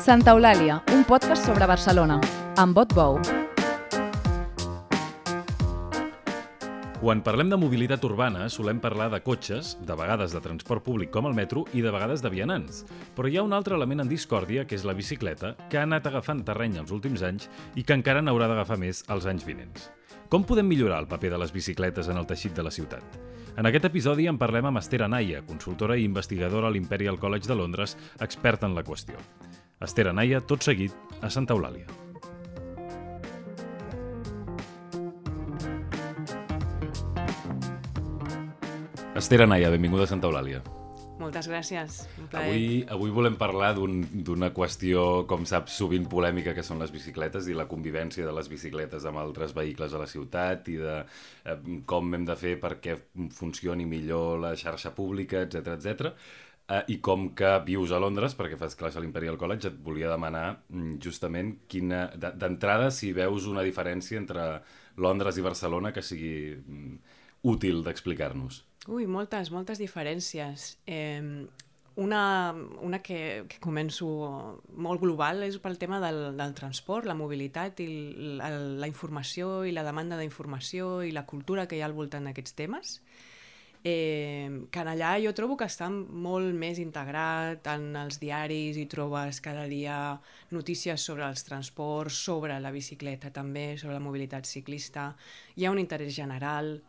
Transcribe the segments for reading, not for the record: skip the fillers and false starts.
Santa Eulàlia, un podcast sobre Barcelona, amb Bot Bou. Quan parlem de mobilitat urbana, solem parlar de cotxes, de vegades de transport públic com el metro i de vegades de vianants. Però hi ha un altre element en discòrdia, que és la bicicleta, que ha anat agafant terreny els últims anys i que encara n'haurà d'agafar més els anys vinents. Com podem millorar el paper de les bicicletes en el teixit de la ciutat? En aquest episodi en parlem amb Esther Anaya, consultora i investigadora a l'Imperial College de Londres, experta en la qüestió. Esther Anaya, tot seguit, a Santa Eulàlia. Esther Anaya, benvinguda a Santa Eulàlia. Moltes gràcies, un plaer. Avui volem parlar d'una qüestió, com saps, sovint polèmica, que són les bicicletes i la convivència de les bicicletes amb altres vehicles a la ciutat i de com hem de fer perquè funcioni millor la xarxa pública, etc. I com que vius a Londres, perquè fas classe a l'Imperial College, et volia demanar justament d'entrada si veus una diferència entre Londres i Barcelona que sigui útil d'explicar-nos. Ui, moltes diferències. Una que començo molt global és pel tema del transport, la mobilitat i la informació i la demanda d'informació i la cultura que hi ha al voltant d'aquests temes. Que allà jo trobo que està molt més integrat en els diaris i trobes cada dia notícies sobre els transports, sobre la bicicleta també, sobre la mobilitat ciclista. Hi ha un interès general.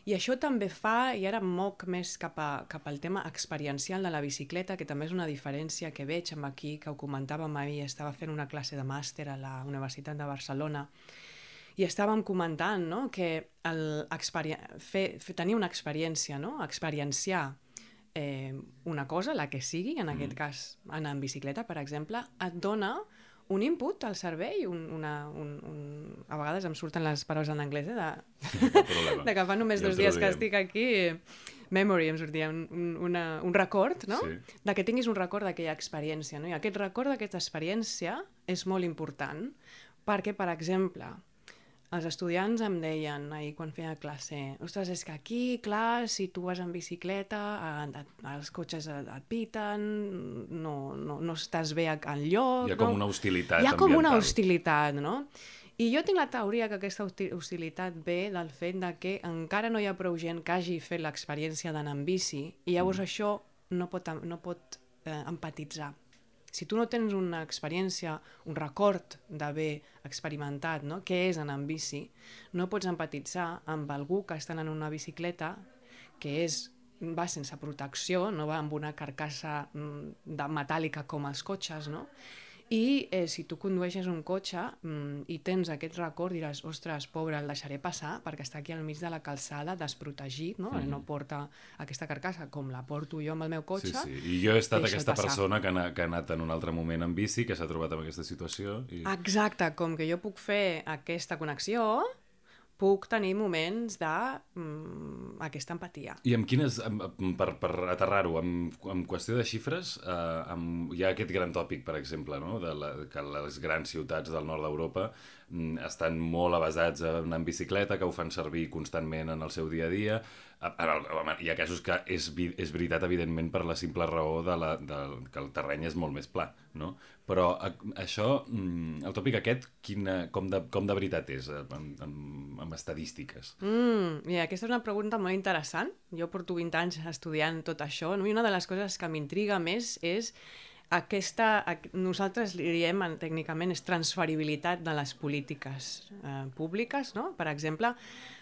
I això també fa, i ara moc més cap al tema experiencial de la bicicleta, que també és una diferència que veig amb aquí, que ho comentàvem ahir, estava fent una classe de màster a la Universitat de Barcelona, i estàvem comentant, no?, que tenir una experiència, no?, experienciar una cosa, la que sigui, en aquest cas anar en bicicleta, per exemple, et dona un input al cervell, a vegades em surten les paraules en anglès, de que fa només 2 dies que estic aquí, memory, em sortia un record, no? Sí. De que tinguis un record d'aquella experiència, no? I aquest record d'aquesta experiència és molt important, perquè, per exemple, els estudiants em deien ahir quan feia classe, ostres, és que aquí, clar, si tu vas en bicicleta, els cotxes et piten, no estàs bé enlloc. Hi ha com una hostilitat ambiental. Hi ha com una hostilitat, no? I jo tinc la teoria que aquesta hostilitat ve del fet de que encara no hi ha prou gent que hagi fet l'experiència d'anar en bici i llavors això no pot empatitzar. Si tu no tens una experiència, un record d'haver experimentat, no?, què és anar en bici, no pots empatitzar amb algú que està en una bicicleta que va sense protecció, no va amb una carcassa metàl·lica com els cotxes, no? I si tu condueixes un cotxe i tens aquest record, diràs, ostres, pobre, el deixaré passar perquè està aquí al mig de la calçada, desprotegit, no? No porta aquesta carcassa com la porto jo amb el meu cotxe. Sí. I jo he estat aquesta persona que ha anat en un altre moment en bici, que s'ha trobat en aquesta situació. Exacte, com que jo puc fer aquesta connexió, puc tenir moments d'aquesta empatia. I amb quines, per aterrar-ho, en qüestió de xifres, hi ha aquest gran tòpic, per exemple, no?, que les grans ciutats del nord d'Europa estan molt avasats a anar en bicicleta, que ho fan servir constantment en el seu dia a dia. Hi ha casos que és veritat, evidentment, per la simple raó que el terreny és molt més pla, no? Però això, el tòpic aquest, com de veritat és, amb estadístiques? Mira, aquesta és una pregunta molt interessant. Jo porto 20 anys estudiant tot això, no? I una de les coses que m'intriga més és nosaltres li diem tècnicament és transferibilitat de les polítiques públiques, no? Per exemple,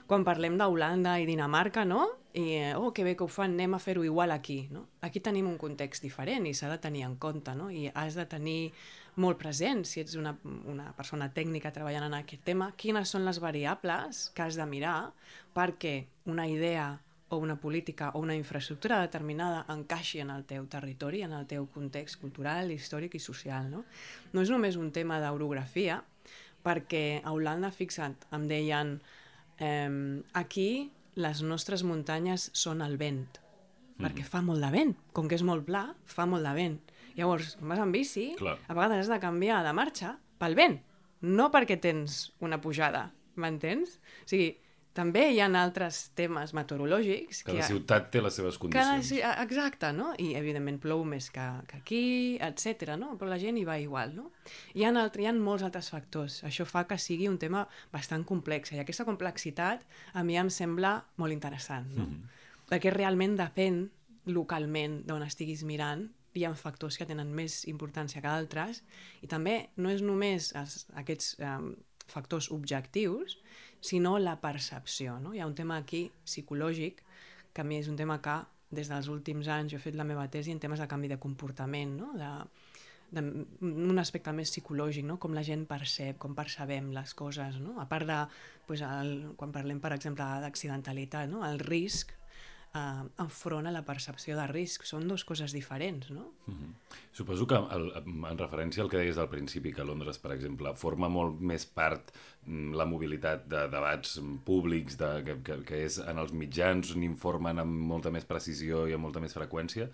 quan parlem d'Holanda i Dinamarca, no? I, que bé que ho fan, anem a fer-ho igual aquí, no? Aquí tenim un context diferent i s'ha de tenir en compte, no? I has de tenir molt present, si ets una persona tècnica treballant en aquest tema, quines són les variables que has de mirar perquè una idea o una política o una infraestructura determinada encaixi en el teu territori, en el teu context cultural, històric i social, no? No és només un tema d'orografia, perquè a Holanda, fixa't, em deien aquí les nostres muntanyes són el vent, perquè fa molt de vent, com que és molt pla, fa molt de vent. Llavors, quan vas en bici, a vegades has de canviar de marxa pel vent, no perquè tens una pujada, m'entens? O sigui, també hi ha altres temes meteorològics... Cada ciutat té les seves condicions. Exacte, no? I evidentment plou més que aquí, etc. No? Però la gent hi va igual, no? Hi ha molts altres factors. Això fa que sigui un tema bastant complex. I aquesta complexitat a mi em sembla molt interessant, no? Perquè realment depèn localment d'on estiguis mirant. Hi ha factors que tenen més importància que d'altres i també no és només aquests factors objectius, sinó la percepció, no? Hi ha un tema aquí psicològic, que a mi és un tema que des dels últims anys jo he fet la meva tesi en temes de canvi de comportament, no? Un aspecte més psicològic, no? Com la gent percep, com percebem les coses, no? A part de, quan parlem, per exemple, d'accidentalitat, no? El risc enfront a la percepció de risc. Són dues coses diferents, no? Suposo que en referència al que deies al principi, que a Londres, per exemple, forma molt més part la mobilitat de debats públics, que és en els mitjans, n'informen amb molta més precisió i amb molta més freqüència,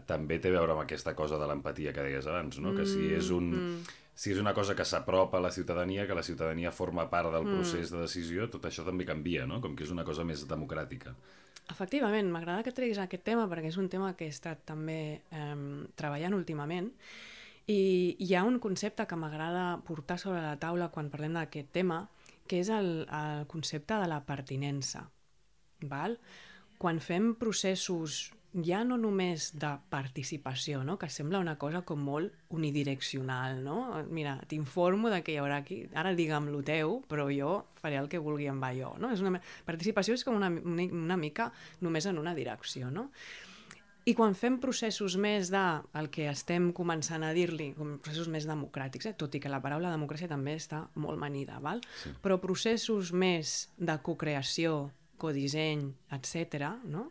també té a veure amb aquesta cosa de l'empatia que deies abans, no? Que si és una cosa que s'apropa a la ciutadania, que la ciutadania forma part del procés de decisió, tot això també canvia, no? Com que és una cosa més democràtica. Efectivament, m'agrada que treguis aquest tema perquè és un tema que he estat també treballant últimament i hi ha un concepte que m'agrada portar sobre la taula quan parlem d'aquest tema, que és el concepte de la pertinença. Val? Quan fem processos ja no només de participació, no? Que sembla una cosa com molt unidireccional, no? Mira, t'informo de que hi haurà aquí, ara digue'm lo teu, però jo faré el que vulgui amb allò, no? Participació és com una mica només en una direcció, no? I quan fem processos més el que estem començant a dir-li, processos més democràtics, tot i que la paraula democràcia també està molt manida, val? Sí. Però processos més de cocreació, codisseny, etc., no?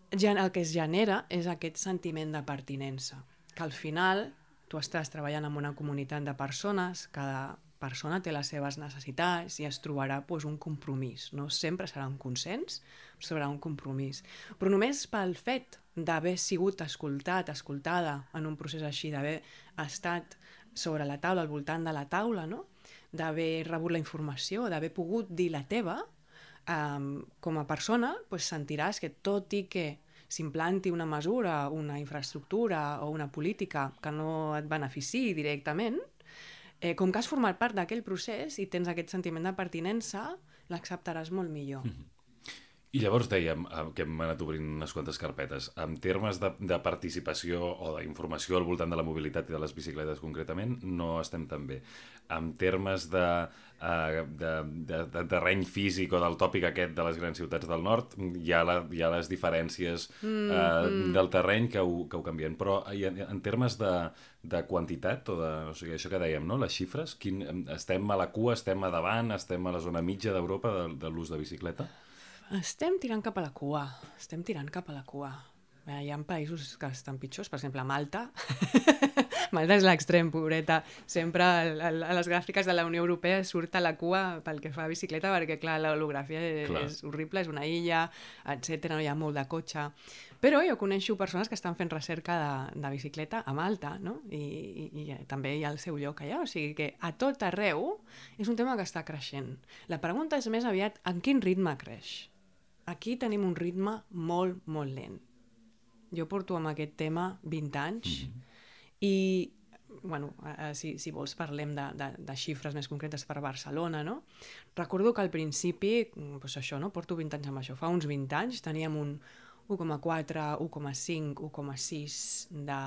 El que es genera és aquest sentiment de pertinença, que al final tu estàs treballant en una comunitat de persones, cada persona té les seves necessitats i es trobarà un compromís. No sempre serà un consens, però serà un compromís. Però només pel fet d'haver sigut escoltada en un procés així, d'haver estat sobre la taula, al voltant de la taula, no? D'haver rebut la informació, d'haver pogut dir la teva, com a persona sentiràs que tot i que s'implanti una mesura, una infraestructura o una política que no et beneficiï directament, com que has format part d'aquell procés i tens aquest sentiment de pertinença, l'acceptaràs molt millor. I llavors dèiem que hem anat obrint unes quantes carpetes. En termes de participació o d'informació al voltant de la mobilitat i de les bicicletes concretament, no estem tan bé. En termes de terreny físic o del tòpic aquest de les grans ciutats del nord, hi ha les diferències del terreny que ho canvien. Però en termes de quantitat, o sigui, això que dèiem, no? Les xifres, estem a la cua, estem a davant, estem a la zona mitja d'Europa de l'ús de bicicleta? Estem tirant cap a la cua. Hi ha països que estan pitjors, per exemple, Malta. Malta és l'extrem, pobreta. Sempre a les gràfiques de la Unió Europea surt a la cua pel que fa a bicicleta, perquè, clar, l'orografia és horrible, és una illa, etc. No hi ha molt de cotxe. Però jo coneixo persones que estan fent recerca de bicicleta a Malta, no? I també hi ha el seu lloc allà. O sigui que a tot arreu és un tema que està creixent. La pregunta és més aviat en quin ritme creix. Aquí tenim un ritme molt, molt lent. Jo porto amb aquest tema 20 anys i, bueno, si vols parlem de xifres més concretes per Barcelona, no? Recordo que al principi, això, no? Porto 20 anys amb això. Fa uns 20 anys teníem un 1,4, 1,5, 1,6 de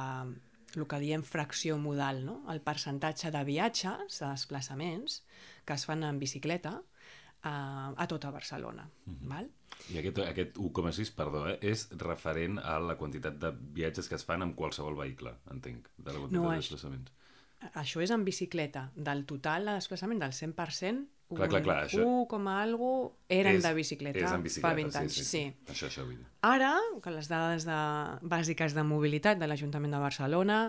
el que diem fracció modal, no? El percentatge de viatges, de desplaçaments que es fan en bicicleta a tota Barcelona. Val? I aquest 1,6, perdó, és referent a la quantitat de viatges que es fan amb qualsevol vehicle, entenc, de la quantitat de desplaçaments. Això és en bicicleta. Del total de desplaçament, del 100%, clar, 1, eren de bicicleta, és en bicicleta fa 20 anys. Sí. Això vull dir. Ara, que les dades bàsiques de mobilitat de l'Ajuntament de Barcelona,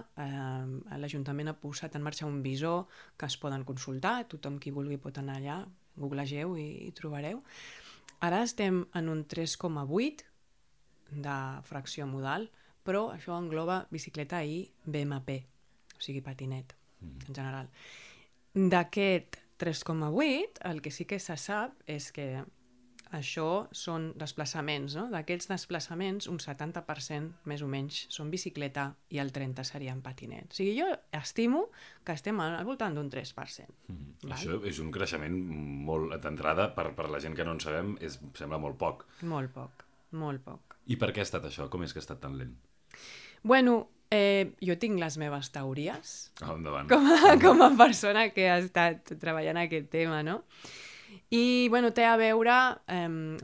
l'Ajuntament ha posat en marxa un visor que es poden consultar, tothom qui vulgui pot anar allà, googlegeu i trobareu. Ara estem en un 3,8 de fracció modal, però això engloba bicicleta i BMP, o sigui patinet, en general. D'aquest 3,8, el que sí que se sap és que això són desplaçaments, no? D'aquests desplaçaments, un 70% més o menys són bicicleta i el 30% serien patinet. O sigui, jo estimo que estem al voltant d'un 3%. Això és un creixement molt d'entrada, per la gent que no en sabem, sembla molt poc. Molt poc, molt poc. I per què ha estat això? Com és que ha estat tan lent? Bueno, jo tinc les meves teories Endavant. com a persona que ha estat treballant aquest tema, no? I, bueno, té a veure,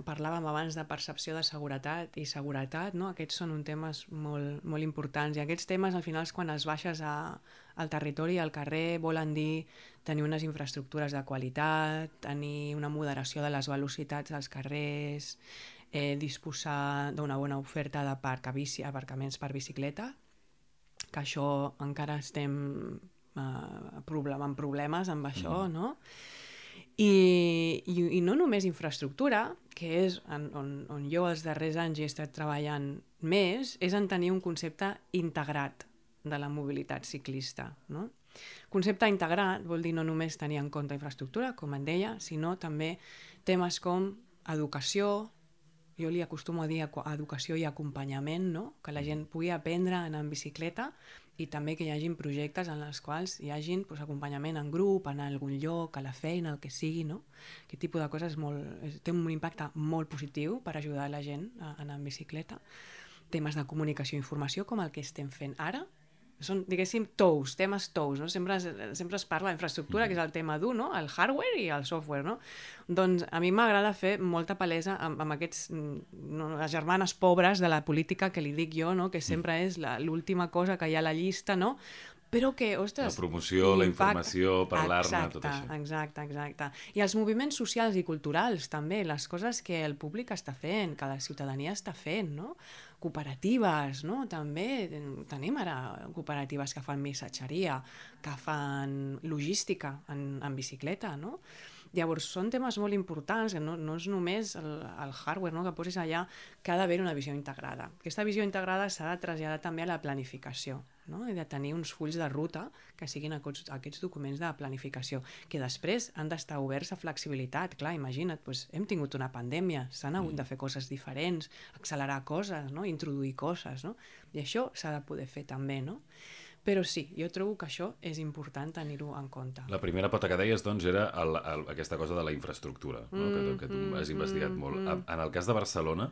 parlàvem abans de percepció de seguretat i seguretat, no? Aquests són temes molt, molt importants i aquests temes, al final, quan els baixes al territori, al carrer, volen dir tenir unes infraestructures de qualitat, tenir una moderació de les velocitats dels carrers, disposar d'una bona oferta d'aparcaments per bicicleta, que això encara estem amb problemes amb això, no? I no només infraestructura, que és on jo els darrers anys he estat treballant més, és en tenir un concepte integrat de la mobilitat ciclista, no? Concepte integrat vol dir no només tenir en compte infraestructura, com et deia, sinó també temes com educació, jo li acostumo a dir educació i acompanyament, no? Que la gent pugui aprendre a anar en bicicleta i també que hi hagin projectes en els quals hi hagin acompanyament en grup, anar a algun lloc, a la feina, el que sigui, no? Aquest tipus de coses té un impacte molt positiu per ajudar la gent a anar en bicicleta. Temes de comunicació i informació, com el que estem fent ara, són, diguéssim, temes tous, no? Sempre es parla d'infraestructura, que és el tema dur, no? El hardware i el software, no? Doncs a mi m'agrada fer molta palesa amb aquests, les germanes pobres de la política que li dic jo, no? Que sempre és l'última cosa que hi ha a la llista, no? Però que, ostres... La promoció, la informació, parlar-ne, tot això. Exacte. I els moviments socials i culturals, també, les coses que el públic està fent, que la ciutadania està fent, no? Cooperatives, no? També tenim ara cooperatives que fan missatgeria, que fan logística en bicicleta, no? Llavors, són temes molt importants, que no és només el hardware, no? Que posis allà, que ha d'haver una visió integrada. Aquesta visió integrada s'ha de traslladar també a la planificació, no? I de tenir uns fulls de ruta que siguin aquests documents de planificació, que després han d'estar oberts a flexibilitat. Clar, imagina't, hem tingut una pandèmia, s'han hagut de fer coses diferents, accelerar coses, no? Introduir coses, no? I això s'ha de poder fer també, no? Però sí, jo trobo que això és important tenir-ho en compte. La primera pota que deies, doncs, era aquesta cosa de la infraestructura, no? Que tu has investigat molt. En el cas de Barcelona,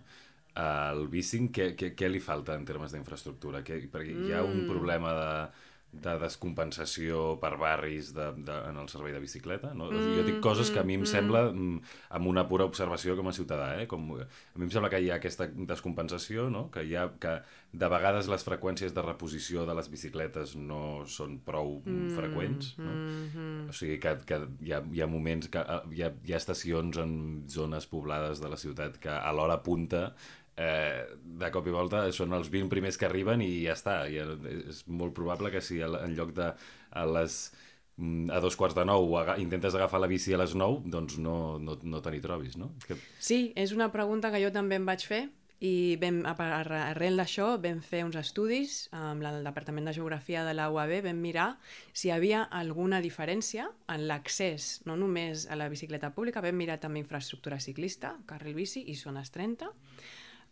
al bicing, què li falta en termes d'infraestructura? Perquè hi ha un problema de descompensació per barris en el servei de bicicleta, no? Jo dic coses que a mi em sembla, amb una pura observació com a ciutadà, a mi em sembla que hi ha aquesta descompensació, no? Que de vegades les freqüències de reposició de les bicicletes no són prou freqüents, no? O sigui que hi ha moments que hi ha estacions en zones poblades de la ciutat que a l'hora punta de cop i volta són els 20 primers que arriben i ja està. És molt probable que si en lloc de a 8:45 intentes agafar la bici a les 9, doncs no te n'hi trobis, no? Sí, és una pregunta que jo també em vaig fer i arrel d'això vam fer uns estudis amb el Departament de Geografia de la UAB, vam mirar si hi havia alguna diferència en l'accés, no només a la bicicleta pública, vam mirar també infraestructura ciclista, carril bici i zones 30,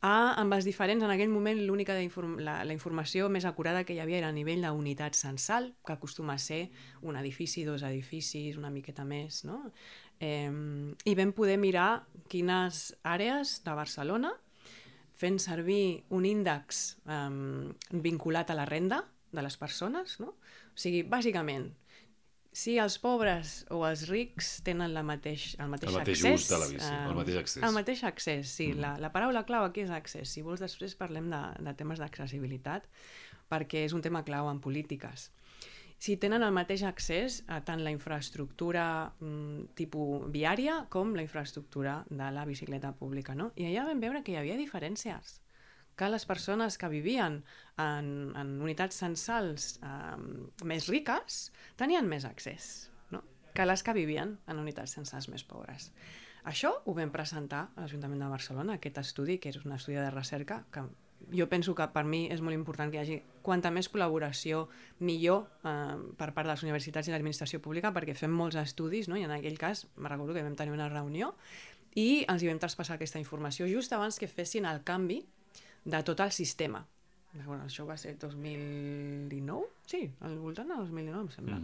amb els diferents, en aquell moment l'única la informació més acurada que hi havia era a nivell d'unitat censal, que acostuma a ser un edifici, 2 edificis, una miqueta més, no? I vam poder mirar quines àrees de Barcelona, fent servir un índex vinculat a la renda de les persones, no? O sigui, bàsicament, si els pobres o els rics tenen el mateix accés... ús de la bici, el mateix accés. El mateix accés, sí. La paraula clau aquí és accés. Si vols, després parlem de temes d'accessibilitat, perquè és un tema clau en polítiques. Si tenen el mateix accés a tant la infraestructura tipus viària com la infraestructura de la bicicleta pública, no? I allà vam veure que hi havia diferències, que les persones que vivien en unitats censals més riques tenien més accés, no? Que les que vivien en unitats censals més pobres. Això ho vam presentar a l'Ajuntament de Barcelona, aquest estudi, que és un estudi de recerca que jo penso que per mi és molt important que hi hagi quanta més col·laboració millor per part de les universitats i l'administració pública, perquè fem molts estudis, no? I en aquell cas me recordo que vam tenir una reunió i els hi vam traspassar aquesta informació just abans que fessin el canvi de tot el sistema. Bueno, això va ser 2019? Sí, al voltant de 2019 em sembla.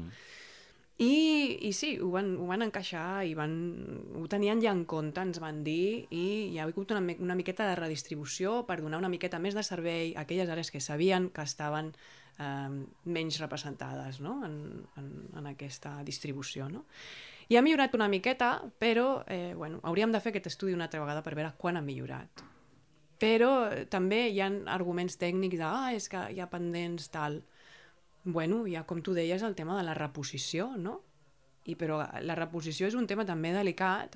I sí, ho van encaixar i ho tenien ja en compte, ens van dir, i hi ha hagut una miqueta de redistribució per donar una miqueta més de servei a aquelles àrees que sabien que estaven menys representades, no? en aquesta distribució. No? I ha millorat una miqueta, però hauríem de fer aquest estudi una altra vegada per veure quan ha millorat. Però també hi ha arguments tècnics de és que hi ha pendents, tal. Bueno, ja com tu deies, el tema de la reposició, no? Però la reposició és un tema també delicat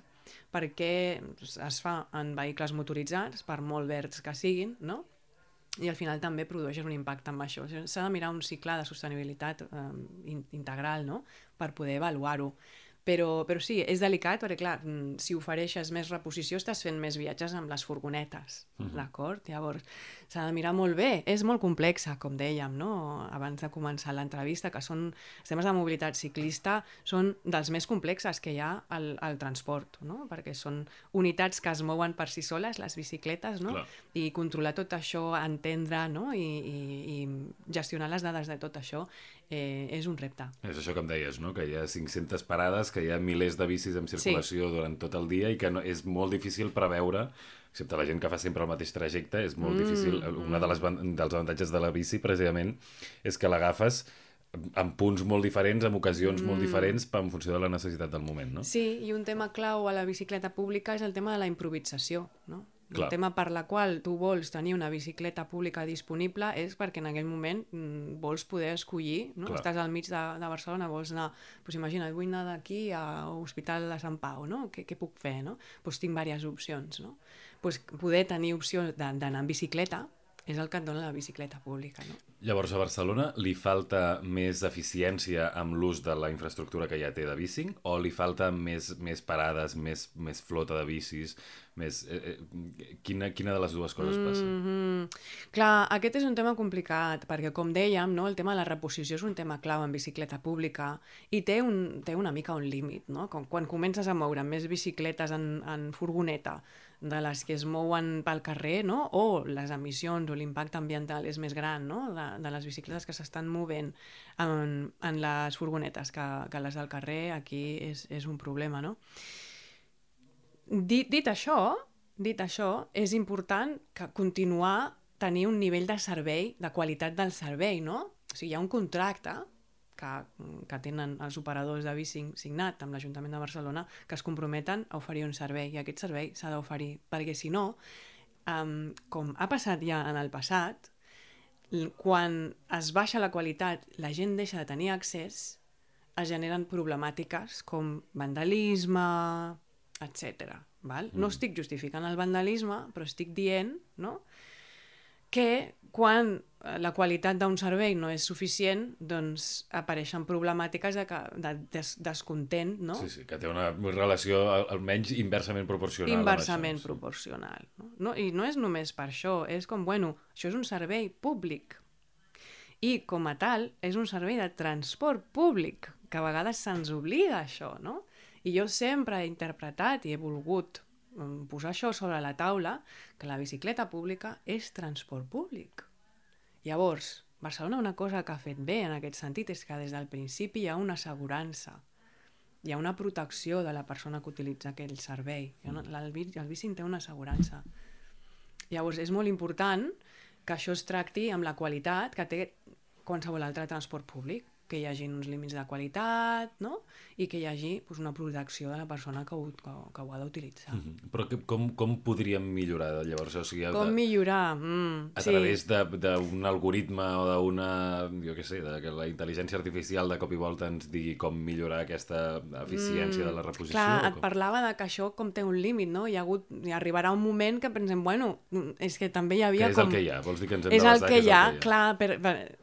perquè es fa en vehicles motoritzats, per molt verds que siguin, no? I al final també produeixes un impacte amb això. S'ha de mirar un cicle de sostenibilitat integral, no? Per poder avaluar-ho. Però sí, és delicat perquè, clar, si ofereixes més reposició estàs fent més viatges amb les furgonetes, d'acord? Llavors, s'ha de mirar molt bé. És molt complexa, com dèiem, no? Abans de començar l'entrevista, que els temes de mobilitat ciclista són dels més complexes que hi ha al transport, no? Perquè són unitats que es mouen per si soles, les bicicletes, no? Clar. I controlar tot això, entendre, no? I gestionar les dades de tot això és un repte. És això que em deies, no? Que hi ha 500 parades, que hi ha milers de bicis en circulació durant tot el dia i que és molt difícil preveure, excepte la gent que fa sempre el mateix trajecte, és molt difícil. Un dels avantatges de la bici, precisament, és que l'agafes en punts molt diferents, en ocasions molt diferents, en funció de la necessitat del moment, no? Sí, i un tema clau a la bicicleta pública és el tema de la improvisació, no? Clar. El tema per la qual tu vols tenir una bicicleta pública disponible és perquè en aquell moment vols poder escollir, no? Estàs al mig de Barcelona, vols anar, doncs imagina't, vull anar d'aquí a l'Hospital de Sant Pau, no? Què puc fer, no? Doncs tinc diverses opcions, no? Doncs poder tenir opció d'anar en bicicleta és el que et dona la bicicleta pública, no? Llavors, a Barcelona li falta més eficiència amb l'ús de la infraestructura que ja té de bici o li falta més parades, més flota de bicis? Quina de les dues coses passa? Clar, aquest és un tema complicat, perquè com dèiem, no, el tema de la reposició és un tema clau en bicicleta pública i té una mica un límit, no? Quan comences a moure més bicicletes en furgoneta de les que es mouen pel carrer, no? O les emissions o l'impacte ambiental és més gran, no? De les bicicletes que s'estan movent en les furgonetes que les del carrer, aquí és un problema, no? Dit això, és important que continuar tenir un nivell de servei, de qualitat del servei, no? O sigui, hi ha un contracte que tenen els operadors de bici signat amb l'Ajuntament de Barcelona que es comprometen a oferir un servei i aquest servei s'ha d'oferir, perquè si no, com ha passat ja en el passat, quan es baixa la qualitat, la gent deixa de tenir accés, es generen problemàtiques com vandalisme, etc. No estic justificant el vandalisme, però estic dient, no?, que quan la qualitat d'un servei no és suficient, doncs apareixen problemàtiques de descontent, no? Sí, que té una relació almenys inversament proporcional. Inversament proporcional. No? I no és només per això, és com, això és un servei públic. I com a tal, és un servei de transport públic, que a vegades se'ns oblida això, no? I jo sempre he interpretat i he volgut posar això sobre la taula, que la bicicleta pública és transport públic. Llavors, Barcelona una cosa que ha fet bé en aquest sentit és que des del principi hi ha una assegurança, hi ha una protecció de la persona que utilitza aquell servei. El bici té una assegurança. Llavors, és molt important que això es tracti amb la qualitat que té qualsevol altre transport públic, que hi hagi uns límits de qualitat, no? I que hi hagi una protecció de la persona que ho ha d'utilitzar. Però com podríem millorar, llavors? O sigui, com millorar? A través d'un algoritme o d'una, jo què sé, que la intel·ligència artificial de cop i volta ens digui com millorar aquesta eficiència de la reposició? Clar, et parlava de que això com té un límit, no? Hi arribarà un moment que pensem, és que també hi havia com... Que és el que hi ha? Vols dir que ens hem d'adaptar que és el que hi ha? Clar,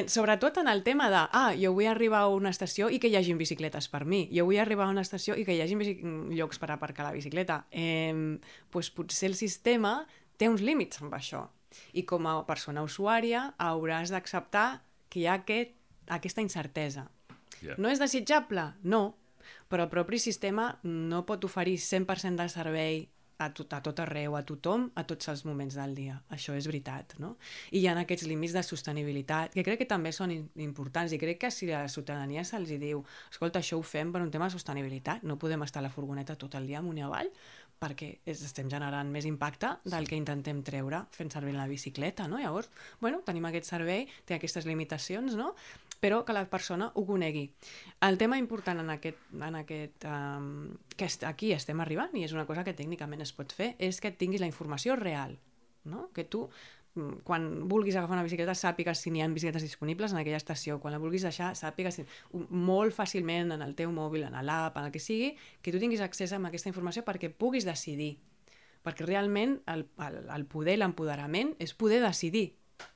sobretot en el tema de jo vull arribar a una estació i que hi hagin bicicletes per mi, jo vull arribar a una estació i que hi hagin llocs per aparcar la bicicleta, doncs potser el sistema té uns límits amb això I com a persona usuària hauràs d'acceptar que hi ha aquesta incertesa. Yeah. No és desitjable? No, però el propi sistema no pot oferir 100% de servei a tot arreu, a tothom, a tots els moments del dia. Això és veritat, no? I hi ha aquests límits de sostenibilitat, que crec que també són importants, i crec que si a la ciutadania se'ls diu escolta, això ho fem per un tema de sostenibilitat, no podem estar a la furgoneta tot el dia amunt i avall, perquè estem generant més impacte del que intentem treure fent servir la bicicleta, no? Llavors, bueno, tenim aquest servei, té aquestes limitacions, no? Però que la persona ho conegui. El tema important que aquí estem arribant, i és una cosa que tècnicament es pot fer, és que tinguis la informació real, no? Que tu, quan vulguis agafar una bicicleta, sàpigues si n'hi ha bicicletes disponibles en aquella estació, quan la vulguis deixar, sàpigues molt fàcilment en el teu mòbil, en l'app, en el que sigui, que tu tinguis accés a aquesta informació perquè puguis decidir. Perquè realment el poder, l'empoderament, és poder decidir.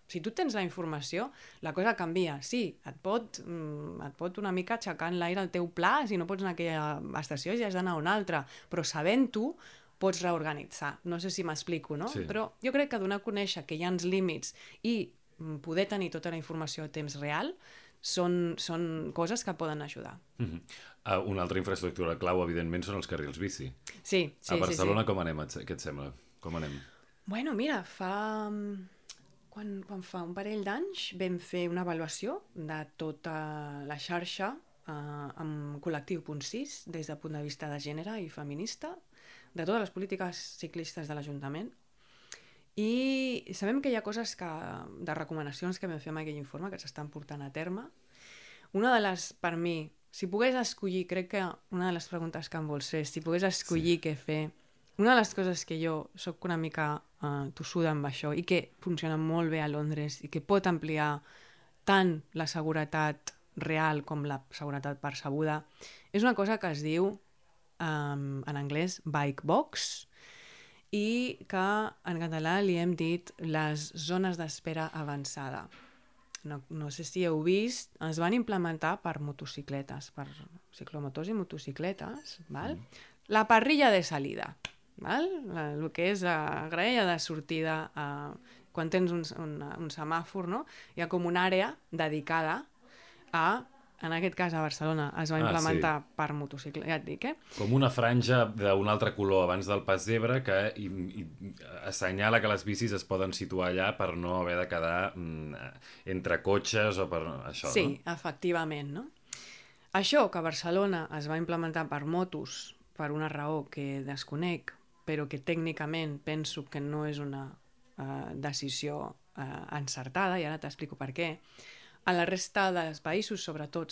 Si tu tens la informació, la cosa canvia. Sí, et pot una mica aixecar en l'aire el teu pla, si no pots anar a aquella estació ja has d'anar a una altra, però sabent-ho pots reorganitzar. No sé si m'explico, no? Sí. Però jo crec que donar a conèixer que hi ha uns límits i poder tenir tota la informació a temps real són coses que poden ajudar. Una altra infraestructura clau, evidentment, són els carrils bici. Sí. A Barcelona com anem? Què et sembla? Com anem? Bueno, mira, quan fa un parell d'anys vam fer una avaluació de tota la xarxa amb col·lectiu Punt 6 des del punt de vista de gènere i feminista, de totes les polítiques ciclistes de l'Ajuntament, i sabem que hi ha coses de recomanacions que vam fer amb aquell informe que s'estan portant a terme. Una de les, per mi, si pogués escollir, crec que una de les preguntes que em vols fer, si pogués escollir què fer, una de les coses que jo soc una mica tossuda amb això i que funciona molt bé a Londres i que pot ampliar tant la seguretat real com la seguretat percebuda, és una cosa que es diu en anglès bike box i que en català li hem dit les zones d'espera avançada. No sé si heu vist, es van implementar per motocicletes, per ciclomotors i motocicletes, val? La parrilla de salida. Val? El que és la graella de sortida, quan tens un semàfor, no? Hi ha com una àrea dedicada en aquest cas a Barcelona es va implementar per motocicleta, ja et dic, Com una franja d'un altre color abans del pas zebra que assenyala que les bicis es poden situar allà per no haver de quedar entre cotxes o per això, sí, no? Sí, efectivament, no? Això que a Barcelona es va implementar per motos per una raó que desconec, però que tècnicament penso que no és una decisió encertada, i ara t'explico per què. A la resta dels països, sobretot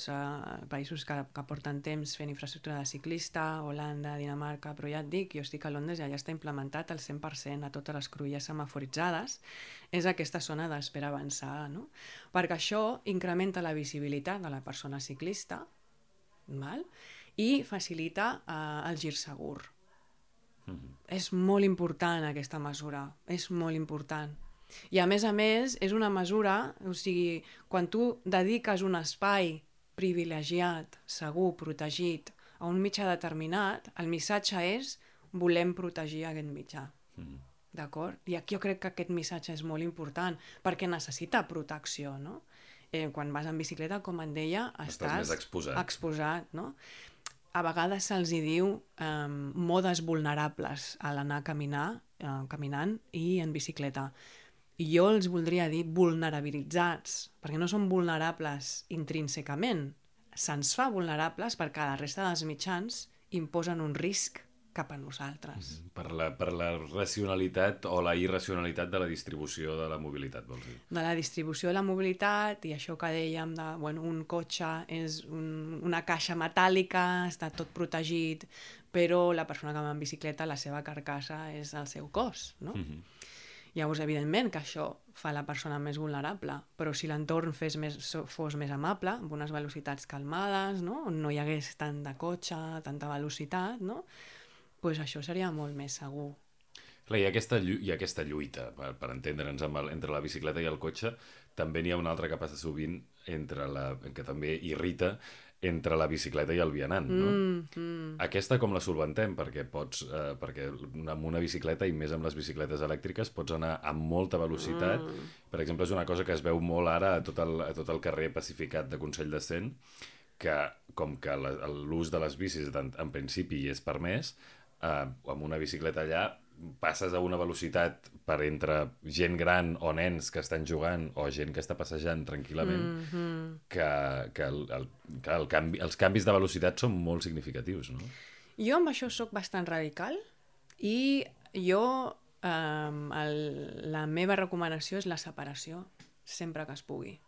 països que porten temps fent infraestructura de ciclista, Holanda, Dinamarca, però ja et dic, jo estic a Londres i allà està implementat al 100% a totes les cruïlles semaforitzades, és aquesta zona d'espera avançada, no? Perquè això incrementa la visibilitat de la persona ciclista, val? I facilita el gir segur. És molt important aquesta mesura, és molt important. I a més, és una mesura, o sigui, quan tu dediques un espai privilegiat, segur, protegit, a un mitjà determinat, el missatge és volem protegir aquest mitjà. D'acord? I aquí jo crec que aquest missatge és molt important, perquè necessita protecció, no? Quan vas en bicicleta, com et deia, estàs més exposat, no? A vegades se'ls hi diu modes vulnerables a l'anar caminant i en bicicleta. I jo els voldria dir vulnerabilitzats, perquè no són vulnerables intrínsecament. Se'ns fa vulnerables perquè la resta dels mitjans imposen un risc cap a nosaltres. Per la racionalitat o la irracionalitat de la distribució de la mobilitat, vols dir? De la distribució de la mobilitat i això que dèiem de, un cotxe és una caixa metàl·lica, està tot protegit, però la persona que va en bicicleta, la seva carcassa és el seu cos, no? Llavors, evidentment que això fa la persona més vulnerable, però si l'entorn fos més amable, amb unes velocitats calmades, no? On no hi hagués tant de cotxe, tanta velocitat, no? Pues això seria molt més segur. Clar, hi ha aquesta lluita, per entendre'ns, entre la bicicleta i el cotxe. També n'hi ha una altra que passa sovint, que també irrita, entre la bicicleta i el vianant, no? Aquesta com la solventem? Perquè perquè amb una bicicleta, i més amb les bicicletes elèctriques, pots anar amb molta velocitat. Per exemple, és una cosa que es veu molt ara a tot el carrer pacificat de Consell de Cent, que com que l'ús de les bicis en principi hi és permès, amb una bicicleta allà passes a una velocitat per entre gent gran o nens que estan jugant o gent que està passejant tranquil·lament, que els canvis de velocitat són molt significatius, no? Jo amb això sóc bastant radical i jo la meva recomanació és la separació sempre que es pugui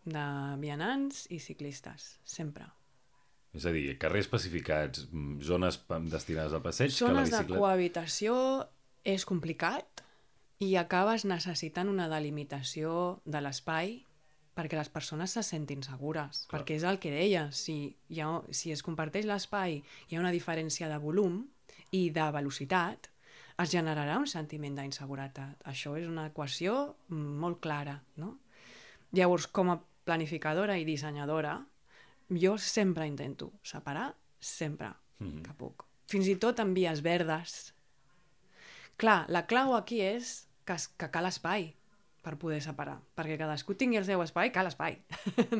de vianants i ciclistes, sempre. És a dir, carrers pacificats, zones destinades al passeig, zones que la bicicleta... de cohabitació és complicat i acabes necessitant una delimitació de l'espai perquè les persones se sentin segures. Clar. Perquè és el que deia, si es comparteix l'espai, hi ha una diferència de volum i de velocitat, es generarà un sentiment d'inseguretat. Això és una equació molt clara, no? Llavors, com a planificadora i dissenyadora, jo sempre intento separar, sempre que puc. Fins i tot en vies verdes. Clar, la clau aquí és que cal espai per poder separar, perquè cadascú tingui el seu espai, cal espai,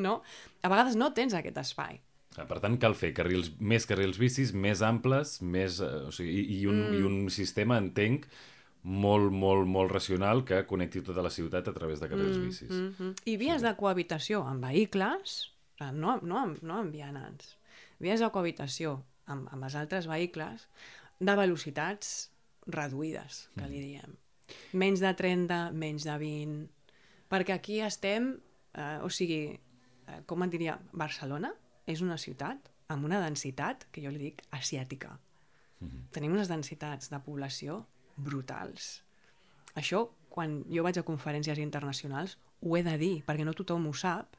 no? A vegades no tens aquest espai. Per tant, cal fer més carrils bicis, més amples, i un sistema, entenc, molt, molt, molt racional que connecti tota la ciutat a través de carrils bicis. I vies de cohabitació amb vehicles, no amb vianants, vies de cohabitació amb els altres vehicles de velocitats reduïdes, que li diem. Menys de 30, menys de 20, perquè aquí estem, com et diria, Barcelona és una ciutat amb una densitat, que jo li dic, asiàtica. Tenim unes densitats de població brutals. Això, quan jo vaig a conferències internacionals, ho he de dir, perquè no tothom ho sap,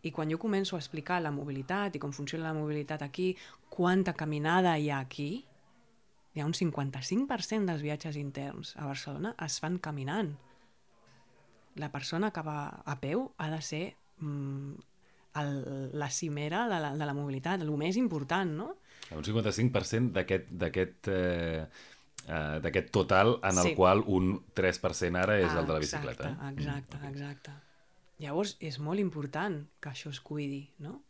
i quan jo començo a explicar la mobilitat i com funciona la mobilitat aquí, quanta caminada hi ha aquí, hi ha un 55% dels viatges interns a Barcelona es fan caminant. La persona que va a peu ha de ser la cimera de la mobilitat, el més important, no? Un 55% d'aquest total en el qual un 3% ara és el de la bicicleta. Exacte. Llavors, és molt important que això es cuidi, no?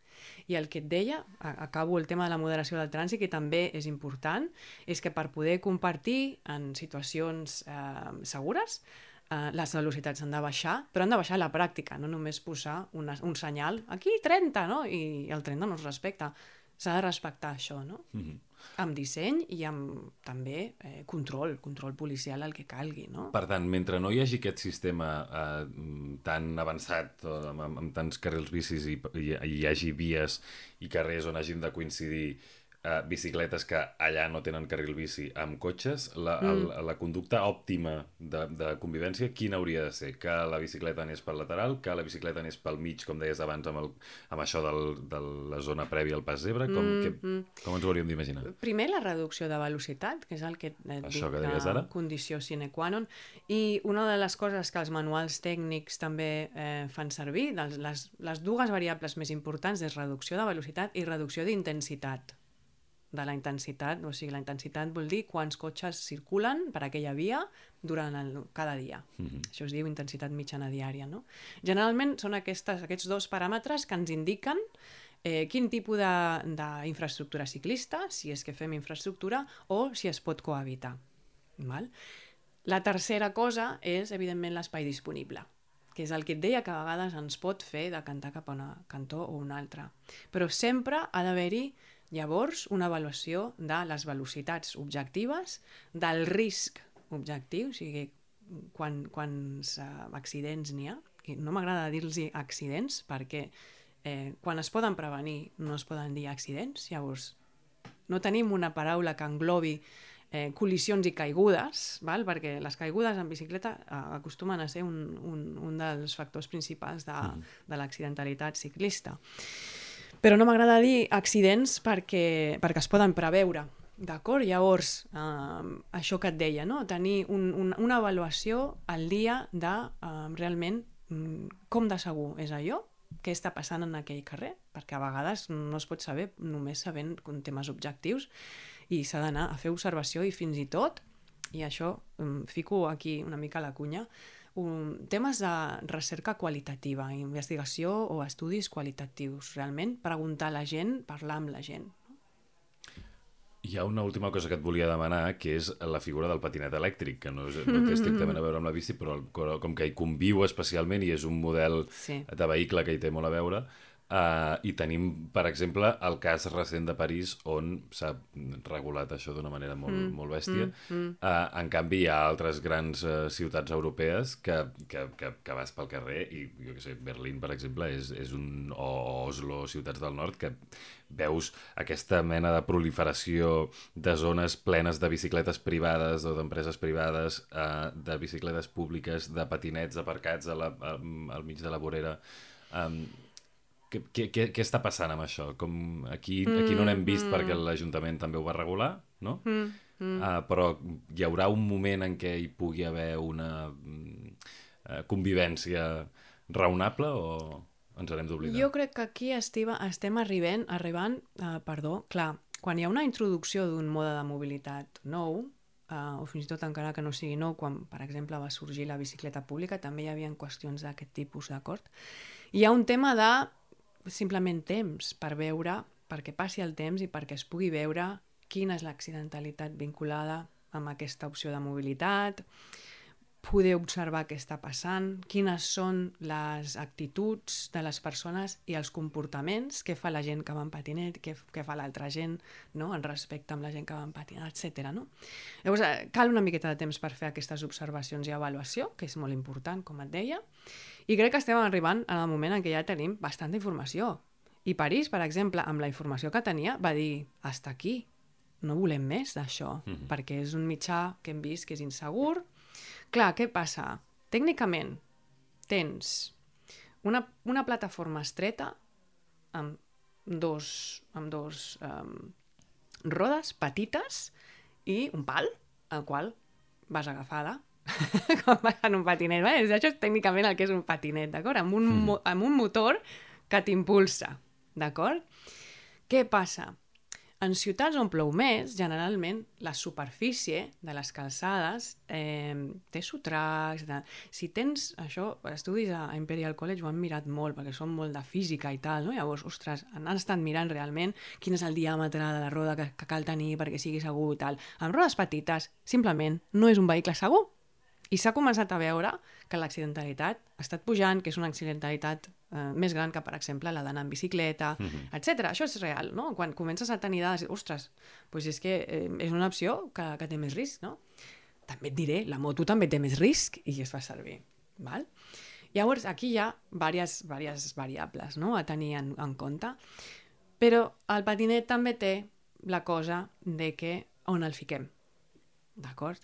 I el que et deia, acabo el tema de la moderació del trànsit, que també és important, és que per poder compartir en situacions segures, les velocitats han de baixar, però han de baixar a la pràctica, no només posar un senyal, aquí 30, no? I el 30 no es respecta. S'ha de respectar això, no? Amb disseny i amb també control policial, el que calgui, no? Per tant, mentre no hi hagi aquest sistema tan avançat, amb tants carrils bicis i hi hagi vies i carrers on hagin de coincidir bicicletes que allà no tenen carril bici amb cotxes, la conducta òptima de convivència, quina hauria de ser? Que la bicicleta anés pel lateral, que la bicicleta anés pel mig, com deies abans, amb això de la zona prèvia al pas zebra? Com ens ho hauríem d'imaginar? Primer, la reducció de velocitat, que és el que et dic, la condició sine qua non. I una de les coses que els manuals tècnics també fan servir, les dues variables més importants, és reducció de velocitat i reducció d'intensitat. De la intensitat, o sigui, la intensitat vol dir quants cotxes circulen per aquella via durant cada dia. Això es diu intensitat mitjana diària, no? Generalment són aquests dos paràmetres que ens indiquen quin tipus d'infraestructura ciclista, si és que fem infraestructura, o si es pot cohabitar. Val? La tercera cosa és, evidentment, l'espai disponible, que és el que et deia que a vegades ens pot fer decantar cap a un cantó o un altre. Però sempre ha d'haver-hi llavors una avaluació de les velocitats objectives, del risc objectiu, o sigui, quants accidents n'hi ha. No m'agrada dir-los accidents perquè quan es poden prevenir no es poden dir accidents, llavors no tenim una paraula que englobi col·lisions i caigudes, val? Perquè les caigudes en bicicleta acostumen a ser un dels factors principals de l'accidentalitat ciclista. Però no m'agrada dir accidents perquè es poden preveure, d'acord? Llavors, això que et deia, no? Tenir una avaluació al dia de realment com de segur és allò què està passant en aquell carrer, perquè a vegades no es pot saber només sabent temes objectius i s'ha d'anar a fer observació i fins i tot, i això fico aquí una mica a la cunya, temes de recerca qualitativa, investigació o estudis qualitatius, realment preguntar a la gent, parlar amb la gent. Hi ha una última cosa que et volia demanar, que és la figura del patinet elèctric, que no té estrictament a veure amb la bici, però com que hi conviu especialment i és un model de vehicle que hi té molt a veure, i tenim, per exemple, el cas recent de París on s'ha regulat això d'una manera molt bèstia. En canvi, hi ha altres grans ciutats europees que vas pel carrer i, jo què sé, Berlín, per exemple, o Oslo, ciutats del nord, que veus aquesta mena de proliferació de zones plenes de bicicletes privades o d'empreses privades, de bicicletes públiques, de patinets aparcats al mig de la vorera. Què està passant amb això? Aquí no n'hem vist perquè l'Ajuntament també ho va regular, no? Però hi haurà un moment en què hi pugui haver una convivència raonable o ens n'hem d'oblidar? Jo crec que aquí estem arribant, clar, quan hi ha una introducció d'un mode de mobilitat nou, o fins i tot encara que no sigui nou, quan, per exemple, va sorgir la bicicleta pública, també hi havia qüestions d'aquest tipus, d'acord? Hi ha un tema de simplement temps per veure, perquè passi el temps i perquè es pugui veure quina és l'accidentalitat vinculada amb aquesta opció de mobilitat, poder observar què està passant, quines són les actituds de les persones i els comportaments, què fa la gent que va en patinet, què fa l'altra gent, no? En respecte amb la gent que va en patinet, etc. No? Llavors, cal una miqueta de temps per fer aquestes observacions i avaluació, que és molt important, com et deia, i crec que estem arribant en el moment en què ja tenim bastanta informació. I París, per exemple, amb la informació que tenia, va dir, hasta aquí, no volem més d'això, perquè és un mitjà que hem vist que és insegur. Clar, què passa? Tècnicament tens una plataforma estreta amb dos rodes petites i un pal, al qual vas agafada com vas en un patinet. Això és tècnicament el que és un patinet, d'acord? Amb un motor que t'impulsa, d'acord? Què passa? En ciutats on plou més, generalment, la superfície de les calçades té sotracs. Si tens això, estudis a Imperial College ho han mirat molt, perquè són molt de física i tal, no? Llavors, ostres, han estat mirant realment quin és el diàmetre de la roda que cal tenir perquè sigui segur i tal. Amb rodes petites, simplement, no és un vehicle segur. I s'ha començat a veure que l'accidentalitat ha estat pujant, que és una accidentalitat més gran que, per exemple, la d'anar en bicicleta, etc. Això és real, no? Quan comences a tenir dades, ostres, doncs és que és una opció que té més risc, no? També et diré, la moto també té més risc i es fa servir, val? Llavors, aquí hi ha diverses variables, no?, a tenir en compte, però el patinet també té la cosa de que on el fiquem, d'acord?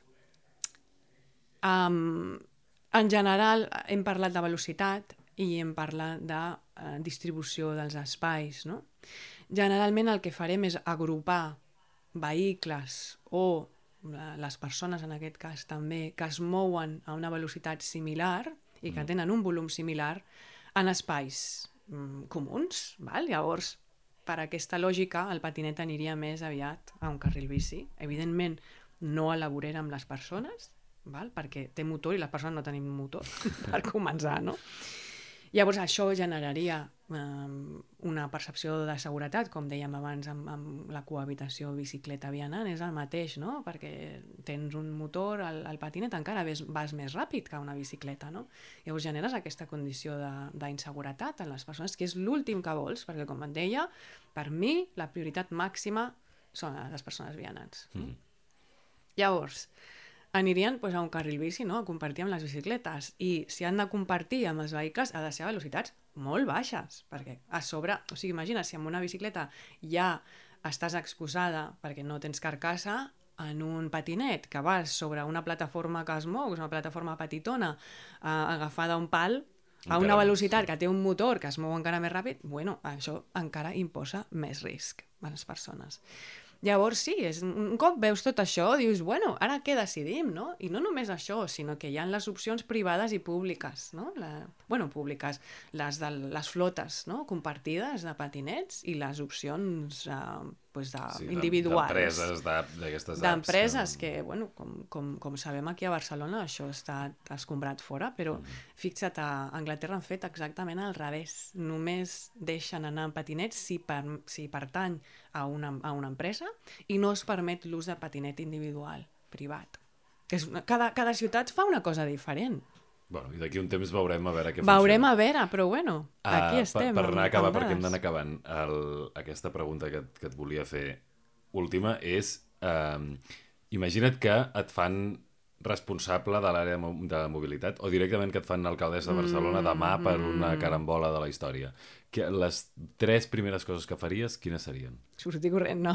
En general, hem parlat de velocitat i hem parlat de distribució dels espais, no? Generalment el que farem és agrupar vehicles o les persones, en aquest cas també, que es mouen a una velocitat similar i que tenen un volum similar en espais comuns, val? Llavors, per aquesta lògica, el patinet aniria més aviat a un carril bici. Evidentment, no a la vorera amb les persones, val? Perquè té motor i les persones no tenim motor, per començar, no? Llavors això generaria una percepció de seguretat, com dèiem abans amb la cohabitació bicicleta-vianant, és el mateix, no? Perquè tens un motor, el patinet encara vas més ràpid que una bicicleta, no? Llavors generes aquesta condició d'inseguretat en les persones, que és l'últim que vols, perquè com et deia, per mi la prioritat màxima són les persones vianants. Llavors, anirien a un carril bici, no?, a compartir amb les bicicletes, i si han de compartir amb els vehicles ha de ser a velocitats molt baixes, perquè a sobre, o sigui, imagina, si amb una bicicleta ja estàs exposada perquè no tens carcassa, en un patinet que vas sobre una plataforma que es mou, una plataforma petitona, agafada a un pal, a una velocitat que té un motor que es mou encara més ràpid, bueno, això encara imposa més risc a les persones. Llavors sí, un cop veus tot això, dius, bueno, ara què decidim, no? I no només això, sinó que hi ha les opcions privades i públiques, no? Públiques, les flotes, no? Compartides de patinets i les opcions individuals. D'empreses, d'aquestes apps. D'empreses que, bueno, com sabem aquí a Barcelona, això està escombrat fora, però fixa't, a Anglaterra han fet exactament al revés. Només deixen anar en patinets si pertany a una empresa i no es permet l'ús de patinet individual, privat. Cada ciutat fa una cosa diferent. Bueno, i d'aquí un temps veurem a veure què funciona. Veurem a veure, però bueno, aquí estem. Per anar a acabar, perquè hem d'anar acabant, aquesta pregunta que et volia fer última és, imagina't que et fan responsable de l'àrea de mobilitat o directament que et fan alcaldessa de Barcelona demà per una carambola de la història. Les 3 primeres coses que faries, quines serien? Sortir corrent, no.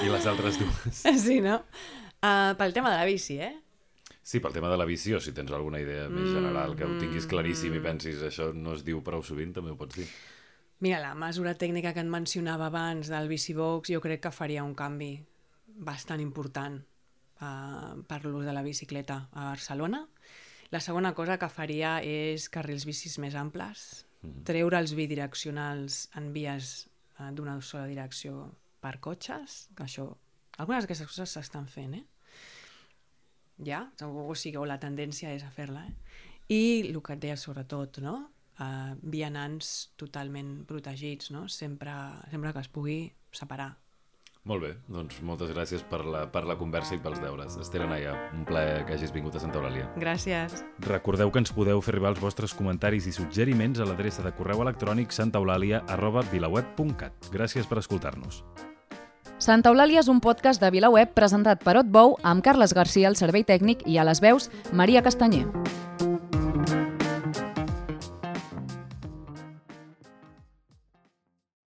I les altres 2? Sí, no? Pel tema de la bici, Sí, pel tema de la visió, si tens alguna idea més general, que ho tinguis claríssim i pensis això no es diu prou sovint, també ho pots dir. Mira, la mesura tècnica que et mencionava abans del Bicibox, jo crec que faria un canvi bastant important per l'ús de la bicicleta a Barcelona. La segona cosa que faria és carrils bicis més amples, treure els bidireccionals en vies d'una sola direcció per cotxes, que això, algunes d'aquestes coses s'estan fent, ja, o sigui, la tendència és a fer-la. I el que et deia sobretot, no? Vianants totalment protegits, no? Sempre que es pugui separar. Molt bé, doncs moltes gràcies per la conversa i pels deures. Esther Anaya, un plaer que hagis vingut a Santa Eulàlia. Gràcies. Recordeu que ens podeu fer arribar els vostres comentaris i suggeriments a l'adreça de correu electrònic santaeulàlia@vilaweb.cat. Gràcies per escoltar-nos. Santa Eulàlia és un podcast de VilaWeb presentat per Otbou amb Carles Garcia al servei tècnic i a les veus Maria Castanyer.